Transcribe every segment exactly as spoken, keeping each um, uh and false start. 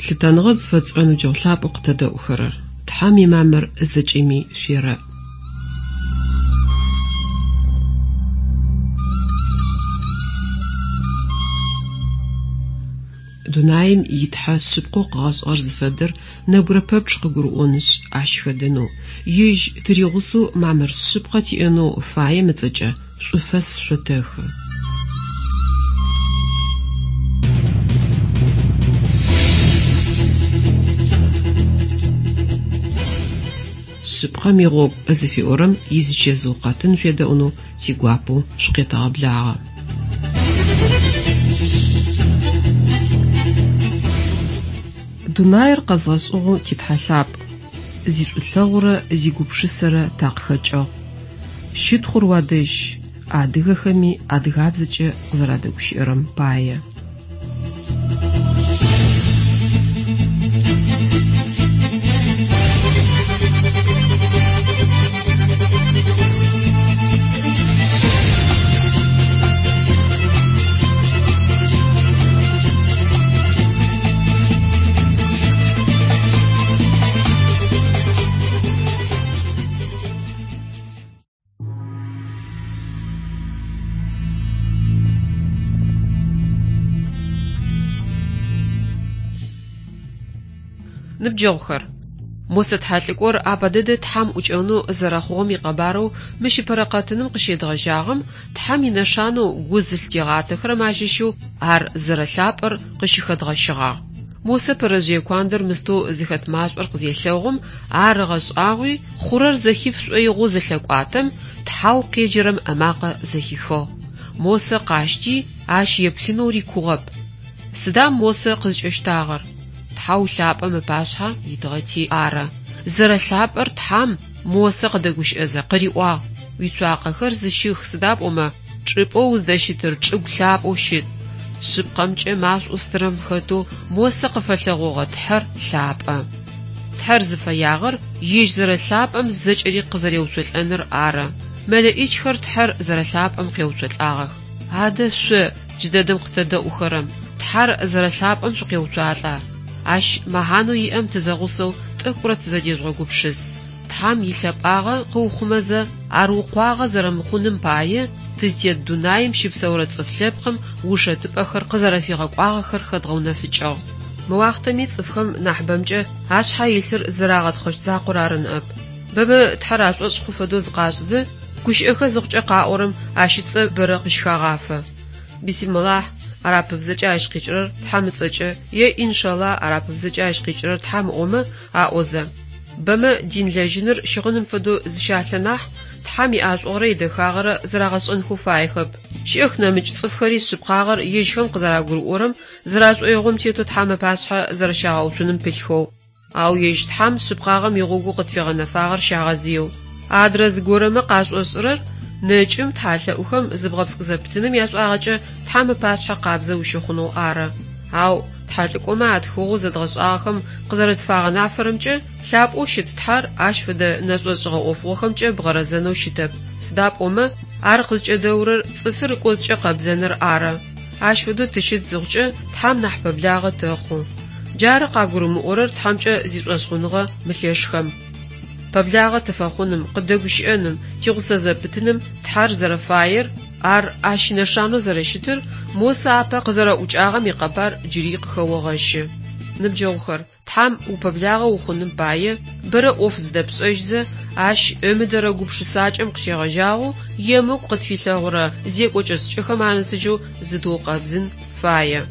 Лъытэныгъэ зыфэтшӏырэ ныбджэгъу лъапӏэу къытэдэӏухэрэр, Тхьэм имамыр зэкӏэми шъуерэӏ. Дунаим итхьэ шъыпкъэу къыгъэшӏыгъэр зыфэдэр нэбгырэ пэпчъ къыгурыӏонышъ, ащ хэдэнэу, ежь тыригъусэу мамыр шъыпкъэ тиӏэнэу фаем ыцӏэкӏэ шӏуфэс шъотэхы. Шъыпкъэм игъогу зыфиӏорэм изычэзыу къэтын шъуедэӏунэу тигуапэу шъукъетэгъэблагъэ. Дунаир къэзгъэшӏыгъэу титхьэ лъапӏ, зишӏулъэгъурэ зигупшысэрэ такъыхэкӏыгъ. Щытхъур уадэжь, адыгэхэми адыгабзэкӏэ къызэрадэгущыӏэрэм пае. Ныбджэгъухэр, Мосэ тхьэлӏыкӏор апэ дэдэ Тхьэм ӏукӏэнэу зэрэхъугъэм икъэбарэу мыщ ыпэрэ къэтыным къыщедгъэжьагъэм Тхьэм инэшанэу гу зылъытигъатэхэрэм ащыщэу ар зэрэлъапӏэр къыщыхэдгъэщыгъагъ. Мосэ пэрэжъые куандэр мыстэу зыхэт машӏор къызелъэгъум, ар ыгъэшӏагъуи, хъурэр зэхиф шӏоигъоу зылъэкӏуатэм, Тхьэу къеджэрэм ымакъэ зэхихыгъ. Мосэ къащти, ащ еплъынэу рикугъэп. Сыда Мосэ къызкӏэщтагъэр? Тхьэу лъапӏэм ыпашъхьэ итыгъэти ары. Зэрэлъапӏэр Тхьэм Мосэ къыдэгущыӏэзэ къыриӏуагъ: «Уицуакъэхэр зыщых, сыда пӏомэ чӏыпӏэу уздэщытыр чӏыгу лъапӏэу щыт». Шъыпкъэмкӏэ машӏоу стырэм хэтэу Мосэ къыфэлъэгъогъэ Тхьэр лъапӏэ. Тхьэр зыфэягъэр ежь зэрэлъапӏэм зэкӏэри къызэреуцолӏэныр ары. Мэлэӏичхэр Тхьэр зэрэлъапӏэм къеуцолӏагъэх. Адэ шъо, джыдэдэм къытэдэӏухэрэм, Тхьэр зэрэлъапӏэм шъукъеуцуалӏа? Ащ мэхьанэу иӏэм тызэгъусэу тӏэкӏурэ тызэдежъугъэгупшыс. Тхьэм илъэпӏагъэ къыухъумэзэ, ар укъуагъэ зэрэмыхъуным пае тызтет дунаим щыпсэурэ цӏыф лъэпкъым ушэтыпӏэхэр къызэрэфигъэкӏуагъэхэр хэдгъэунэфыкӏыгъ. Мы уахътэми цӏыфхэм нахьыбэмкӏэ ашъхьэ илъыр зэрагъэтхъэщт закъор ары ныӏэп. Бэмэ Тхьэр ашӏошъ хъу фэдэу зыкъашӏызэ, гущыӏэхэ зыхъукӏэ къаӏорэм ащ ыцӏэ бэрэ къыщыхагъафэ. Бисмиллахь арапыбзэкӏэ ащ къикӏырэр Тхьэм ыцӏэкӏэ е иншалла арапыбзэкӏэ ащ къикӏырэр Тхьэм ыӏомэ аӏозэ. Бэмэ дин лэжьыныр щыгъыным фэдэу зыщалъэ нахь, Тхьэм иӏашӏугъэрэ идэхагъэрэ зэрагъэшӏэнхэу фаехэп. Щыӏэх нэмыкӏ цӏыфхэри шъыпкъагъэр ежьхэм къызэрагурыӏорэм, зэрашӏоигъом тетэу Тхьэм ыпашъхьэ зэрэщагъэуцуным пылъхэу. Ау ежь Тхьэм шъыпкъагъэм игъогоу къытфигъэнэфагъэр щагъэзыеу. Адрэ зыгорэмэ къашӏошӏырэр нэкӏым тхьэлъэӏухэм зыбгъэпскӏ зэпытыным яшӏуагъэкӏэ Тхьэм ыпашъхьэ къабзэ ущыхъунэу ары. Ау тхьэлӏыкӏомэ атхыгъэу зэдгъэшӏагъэхэм къызэрэтфагъэнафэрэмкӏэ лъапӏэу щыт Тхьэр ащ фэдэ нэшӏошӏыгъэ ӏофыгъохэмкӏэ бгъэрэзэнэу щытэп. Сыда пӏомэ ар къызкӏэдэурэр цӏыфыр ыкӏоцӏкӏэ къэбзэныр ары. Ащ фэдэу тыщыт зыхъукӏэ Тхьэм нахь пэблагъэ тэхъу. Джары къагурымыӏорэр Тхьэмкӏэ зишӏошъхъуныгъэ мылъэшхэм. Пэблагъэ тыфэхъуным, къыдэгущыӏэным, тигъусэ зэпытыным Тхьэр зэрэфаер, ар ащ инэшанэу зэрэщытыр Мосэ апэ къызэрэӏукӏагъэм икъэбар джыри къыхэогъэщы. Ныбджэгъухэр, Тхьэм упэблагъэ ухъуным пае бэрэ ӏоф зыдэпшӏэжьызэ, ащ ымыдэрэ гупшысакӏэм къыщегъэжьагъэу емыкӏу къытфилъэгъурэ зекӏокӏэ-шӏыкӏэхэм анэсыжьэу зытыукъэбзын фае.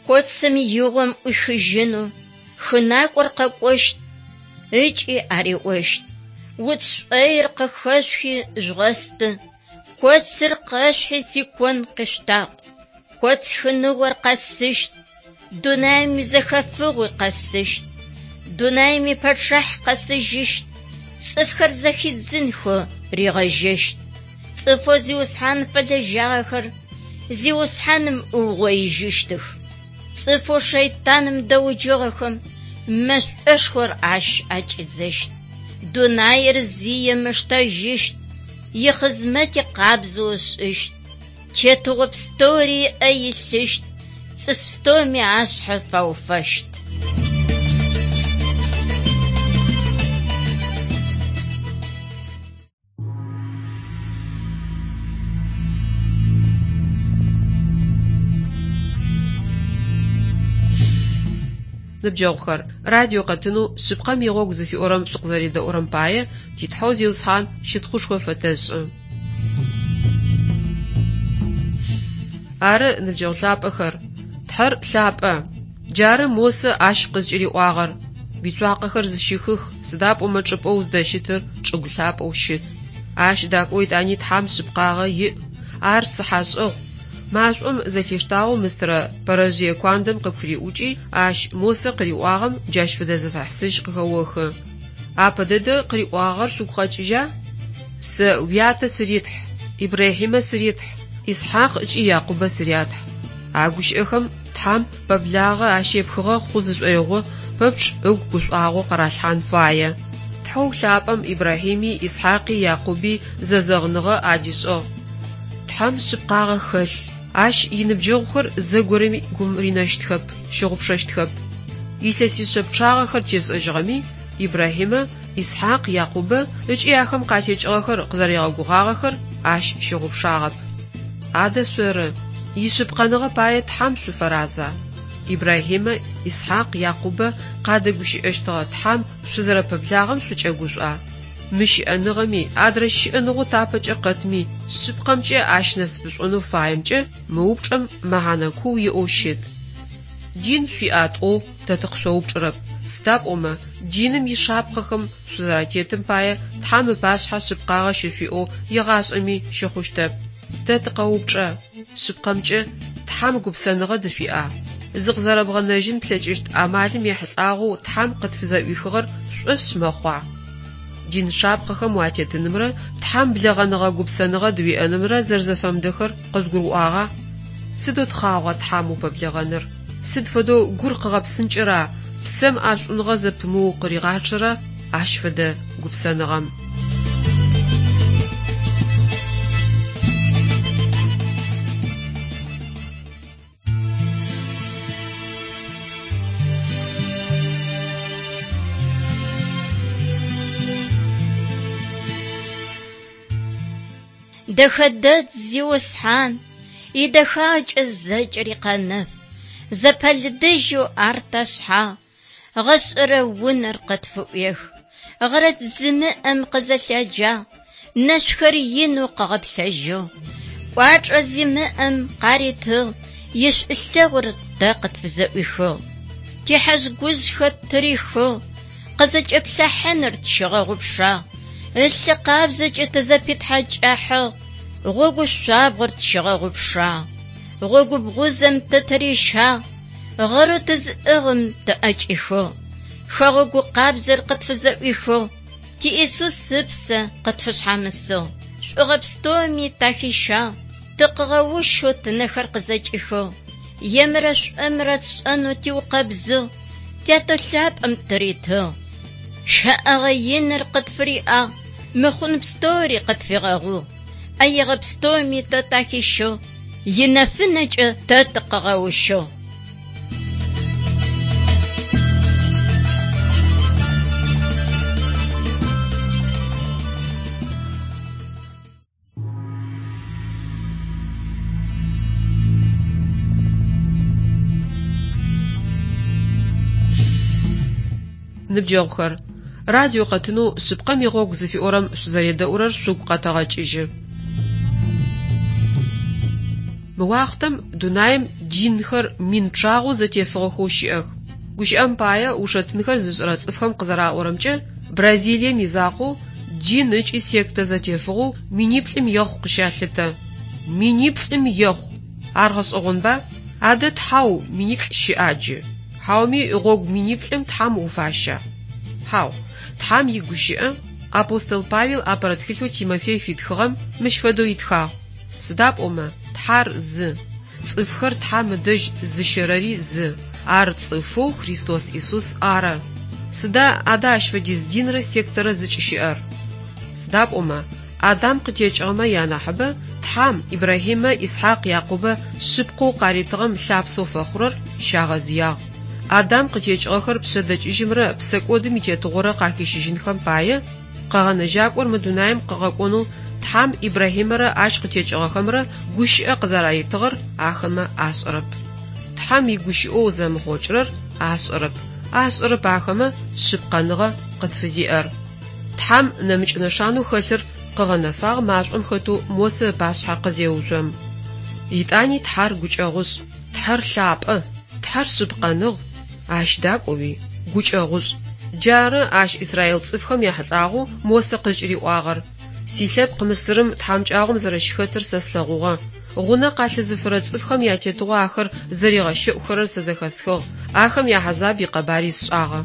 Коцым игъом ӏуихыжьынэу хынакӏор къэкӏощт ыкӏи ариӏощт: «Уц шӏоир къыхэшъухи жъугъэсты, коцыр къэшъухьи сикон къишъутакъу. Коц хыныгъор къэсыщт, дунаим изэхэфыгъуи къэсыщт, дунаим ипэчъахь къэсыжьыщт, цӏыфхэр зэхидзынхэу ригъэжьэщт. Цӏыфэу Зиусхьан фэлэжьагъэхэр Зиусхьаным ыугъоижьыщтых. Цӏыфэу шэйтаным дэуджыгъэхэм мэшӏошхор ащ акӏидзэщт. Дунаир зием ыштэжьыщт, ихъызмэти къабзэу ышӏыщт. Тетыгъо пстэури ыӏэ илъыщт, цӏыф пстэуми ашъхьэ фауфэщт. Ныбджэгъухэр, радио къэтынэу шъыпкъэм игъогу зыфиӏорэм шъукъызэредэӏурэм пае ти Тхьэу Зиусхьан щытхъушхо фэтэшӏы. Ары, ныбджэгъу лъапӏэхэр, Тхьэр лъапӏэ. Джары Мосэ ащ къызкӏыриӏуагъэр: «Уицуакъэхэр зыщыхых, сыда пӏомэ чӏыпӏэу уздэщытыр чӏыгу лъапӏэу щыт». Ащ дакӏоу етӏани Тхьэм шъыпкъагъэ иӏ, ар цыхьэшӏэгъу. Машӏом зэлъиштагъэу мыстырэ пэрэжъые куандэм къыпхыриӏукӏи, ащ Мосэ къыриӏуагъэм джащ фэдэ зэфэхьысыжь къыхэохы. Апэ дэдэ къыриӏуагъэр шъугу къэкӏыжьа? Сэ уятэ сыритхь, Ибрахьимэ сыритхь, Исхьакъ ыкӏи Якъубэ сырятхь. А гущыӏэхэм Тхьэм пэблагъэ ащ епхыгъэ хъу зышӏоигъо пэпчъ ыгу гушӏуагъо къыралъхьан фае. Тхьэу лъапӏэм Ибрахьими, Исхьакъи, Якъуби зэзэгъыныгъэ адишӏыгъ. Тхьэм шъыпкъагъэ хэлъ. Ащ иныбджэгъухэр зэгорэми гум ринэщтхэп, щыгъупшэщтхэп. Илъэсишъэ пчъагъэхэр тешӏэжьыгъэми, Ибрахьимэ, Исхьакъ, Якъубэ ыкӏи ахэм къатекӏыгъэхэр къызэригъэгугъагъэхэр ащ щыгъупшагъэп. Адэ шъоры, ишъыпкъэныгъэ пае Тхьэм шъуфэраза? Ибрахьимэ, Исхьакъ, Якъубэ къадэгущыӏэщтыгъэ Тхьэм шъузэрэпэблагъэм шъукӏэгушӏуа? Мы щыӏэныгъэми, адрэ щыӏэныгъэу тапэкӏэ къэтми, шъыпкъэмкӏэ ащ насыпышӏонэу фаемкӏэ мы упчӏэм мэхьанэ куу иӏэу щыт. Дин шъуиӏа тӏоу тэ тыкъышъоупчӏырэп, сыда пӏомэ диным ишапхъэхэм шъузэратетым пае Тхьэм ыпашъхьэ шъыпкъагъэ щышъуиӏэу егъашӏэми щыхъущтэп. Тэ тыкъэупчӏэ, шъыпкъэмкӏэ Тхьэм гупсэныгъэ дышъуиӏа? Зыкъызэрэбгъэнэжьын плъэкӏыщт амалым ехьылӏагъэу Тхьэм къытфызэӏуихыгъэр шӏошъ мэхъуа? Дин шапхъэхэм уатетынымрэ Тхьэм блэгъэныгъэ гупсэныгъэ дыуиӏэнымрэ зэрэзэфэмыдэхэр къызгурыӏуагъа? Сыдэу тхъагъуа Тхьэм упэблэгъэныр? Сыд фэдэу гур къыгъэпсынкӏэра, псэм ӏэшӏуныгъэ зэпымыу къыригъачъэра ащ фэдэ гупсэныгъэм? Дэхэдэт Зиусхьан, идэхакӏэ зэкӏэри къэнэф, зэпэлыдыжьэу ар ташъхьагъ, гъэшӏэрэ унэр къытфыӏуех. Гъэрэт зимыӏэм къызэлъэджагъ, нэшъухэр инэу къыгъэплъэжьыгъ. Кӏуачӏэ зимыӏэм къаритыгъ, ишӏулъэгъур тэ къытфызэӏуихыгъ. Тихьэжъ-гужъхэр тырихыгъ, къызэкӏэплъахьыныр тщигъэгъупшагъ. Ылъы къабзэкӏэ тызэпитхьакӏахьыгъ, гъогу шъуабгъор тщигъэгъупшагъ. Гъогу бгъузэм тытырищагъ, гъэрэу тызыӏыгъым тыӏэкӏихыгъ. Хэгъэгу къабзэр къытфызэӏуихыгъ, ти Исус ыпсэ къытфышъхьамысыгъ. Шӏугъэ пстэуми тахищагъ, тыкъыгъэущэу тынэхэр къызэкӏихыгъ. Емрэ шӏумрэ тшӏэнэу тиукъэбзыгъ, тятэ лъапӏэм тыритыгъ. Щэӏэгъэ иныр къытфыриӏагъ, мыхъун пстэури къытфигъэгъугъ. Ӏэегъэ пстэуми тэ тахищыгъ, инэфынэкӏэ тэ тыкъыгъэущыгъ. Ныбджэгъухэр, радио къэтынэу шъыпкъэм игъогу зыфиӏорэм шъузэредэӏурэр шъугу къэтэгъэкӏыжьы. Мы уахътэм дунаим динхэр мин пчъагъэу зэтефыгъэхэу щыӏэх. Гущыӏэм пае ушэтынхэр зышӏырэ цӏыфхэм къызэраӏорэмкӏэ, Бразилием изакъоу дин ыкӏи сектэ зэтефыгъэу миниплӏым ехъу къыщалъытэ. Миниплӏым ехъу! Ар гъэшӏэгъонба? Адэ тхьау миниплӏ щыӏа джы? Хьауми гъогу миниплӏым тхьам уфаща? Хьау, тхьам игущыӏэ Апостол Павел апэрэ тхылъэу Тимофей фитхыгъэм мыщ фэдэу итхагъ: Сыда пӏомэ Тхьэр зы, цӏыфхэр Тхьэм ыдэжь зыщэрэри зы, ар цӏыфэу Христос Исус ары. Сыда адэ ащ фэдиз динрэ сектэрэ зыкӏыщыӏэр? Сыда пӏомэ Адам къытекӏыгъэмэ янахьыбэ Тхьэм Ибрахьимэ, Исхьакъ, Якъубэ шъыпкъэу къаритыгъэм лъапсэу фэхъурэр щагъэзыягъ. Адам къытекӏыгъэхэр пшъэдэкӏыжьымрэ псэкӏодым итетыгъорэ къахищыжьынхэм пае Къэгъэнэжьакӏор мы дунаим къыгъэкӏонэу Тхьэм Ибрахьимэрэ ащ къытекӏыгъэхэмрэ гущыӏэ къызэраритыгъэр ахэмэ ашӏэрэп. Тхьэм игущыӏэу зэмыхъокӏырэр ашӏэрэп, ашӏэрэп ахэмэ шъыпкъэныгъэ къытфызиӏэр. Тхьэм нэмыкӏ нэшанэу хэлъыр къыгъэнэфагъ машӏом хэтэу Мосэ ыпашъхьэ къызеуцом. Итӏани Тхьэр гукӏэгъушӏ, Тхьэр лъапӏэ, Тхьэр шъыпкъэныгъ, ащ дакӏоуи гукӏэгъушӏ. Джары ащ Израил цӏыфхэм яхьылӏагъэу Мосэ къызкӏыриӏуагъэр: Силъэпкъ Мысырым тхьамыкӏагъом зэрэщыхэтыр сэ слъэгъугъэ. Гъунэ къалъызыфырэ цӏыфхэм ятетыгъо ахэр зэригъэщэӏухэрэр сэ зэхэсхыгъ, ахэм яхьазаб икъэбари сшӏагъэ.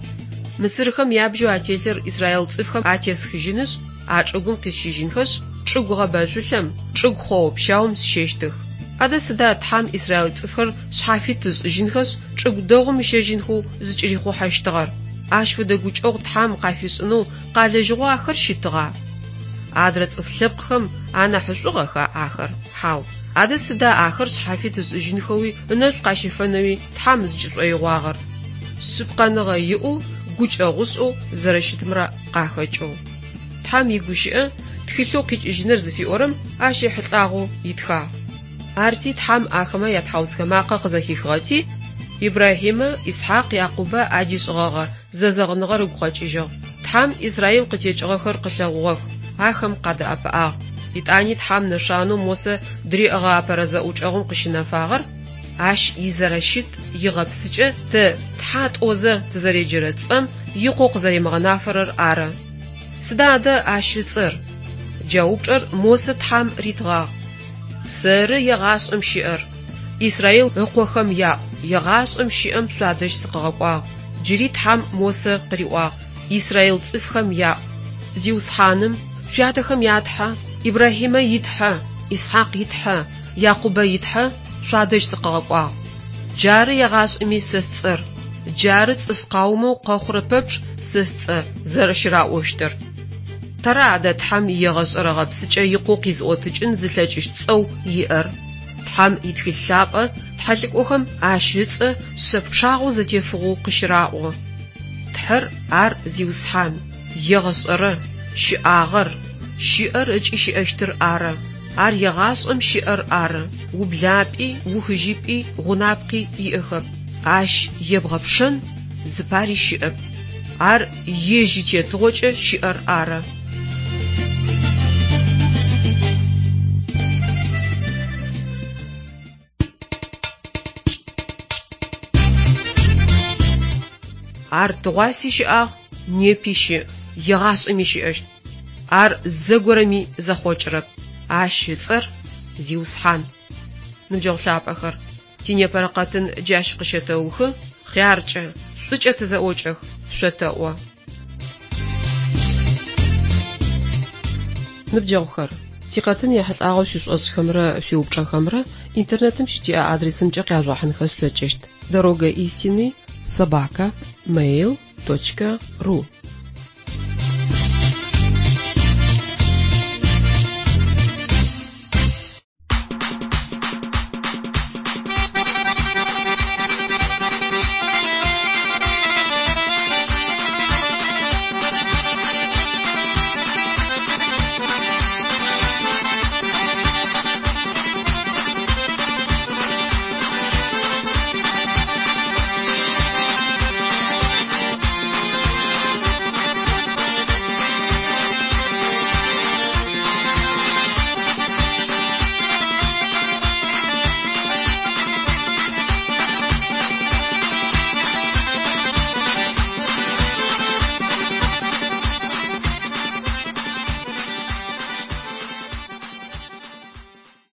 Мысырхэм ябжьэу ателъыр Израил цӏыфхэм атесхыжьынышъ, а чӏыгум къисщыжьынхэшъ, чӏыгу гъэбэжъулъэм, чӏыгу хъоо-пщаум сщэщтых. Адэ сыда Тхьэм Израил цӏыфхэр шъхьафит ышӏыжьынхэшъ, чӏыгу дэгъум ыщэжьынхэу зыкӏырихъухьэщтыгъэр? Ащ фэдэ гукӏэгъу Тхьэм къафишӏынэу къалэжьыгъэу ахэр щытыгъа? Адрэ цӏыф лъэпкъхэм анахьышӏугъэха ахэр? Хьау. Адэ сыда ахэр шъхьафит ышӏыжьынхэуи ынэшӏу къащыфэнэуи Тхьэм зыкӏышӏоигъуагъэр? Шъыпкъэныгъэ иӏэу, гукӏэгъушӏэу зэрэщытымрэ къахэкӏэу. Тхьэм игущыӏэ тхылъэу къикӏыжьыныр зыфиӏорэм ащ ехьылӏагъэу итхагъ. Арти Тхьэм ахэмэ ятхьаусхэ макъэ къызэхихыгъэти, Ибрахьимэ, Исхьакъ, Якъубэ адишӏыгъэгъэ зэзэгъыныгъэр ыгу къэкӏыжьыгъ. Тхьэм Израил къытекӏыгъэхэр къылъэгъугъэх, ахэм къадэӏэпыӏагъ. Итӏани Тхьэм нэшанэу Мосэ дыриӏэгъэ апэрэ зэӏукӏэгъум къыщынэфагъэр ащ изэрэщыт игъэпсыкӏэ тэ Тхьэ тӏозэ тызэреджэрэ цӏэм икъоу къызэримыгъэнафэрэр ары. Сыда адэ ащ ыцӏэр? Джа упчӏэр Мосэ Тхьэм ритыгъагъ. Сэры егъашӏэм щыӏэр. Израил ыкъохэм яӏу, егъашӏэм щыӏэм шъуадэжь сыкъыгъэкӏуагъ. Джыри Тхьэм Мосэ къыриӏуагъ: Израил цӏыфхэм яӏу. Зиусхьаным, шъуятэхэм я Тхьэ, Ибрахьимэ и Тхьэ, Исхьакъ и Тхьэ, Якъубэ и Тхьэ шъуадэжь сыкъыгъэкӏуагъ. Джары егъашӏэми сэ сцӏэр. Джары цӏыф къаумэу къэхъурэ пэпчъ сэ сцӏэ зэрэщыраӏощтыр. Тэра адэ Тхьэм иегъэшӏэрэ гъэпсыкӏэ икъоу къизыӏотыкӏын зылъэкӏыщт цӏэу иӏэр. Тхьэм итхылъ лъапӏэ тхьэлӏыкӏохэм ащ ыцӏэ шъэ пчъагъэу зэтефыгъэу къыщыраӏо. Тхьэр ар Зиусхьан, егъэшӏэрэ, щыӏагъэр, щыӏэр ыкӏи щыӏэщтыр ары. Ар егъашӏэм щыӏэр ары. Ублапӏи, ухыжьыпӏи, гъунапкъи иӏэхэп. Ащ ебгъэпшэн зыпари щыӏэп. Ар ежь итетыгъокӏэ щыӏэр ары. Ар тыгъуаси щыӏагъ, непи щыӏ, егъашӏэми щыӏэщт. Ар зэгорэми зэхъокӏырэп. Ащ ыцӏэр Зиусхьан. Ныбджэгъу лъапӏэхэр, тинепэрэ къэтын джащ къыщэтэухы, хъяркӏэ, шӏукӏэ тызэӏокӏэх, шъотэӏо. Ныбджэгъухэр, тикъэтын ехьылӏагъэу шъуишӏошӏхэмрэ шъуиупчӏэхэмрэ интернетым щытиӏэ адресымкӏэ къяжъугъэхьынхэ шъулъэкӏыщт: дорога истины собака mail точка ру.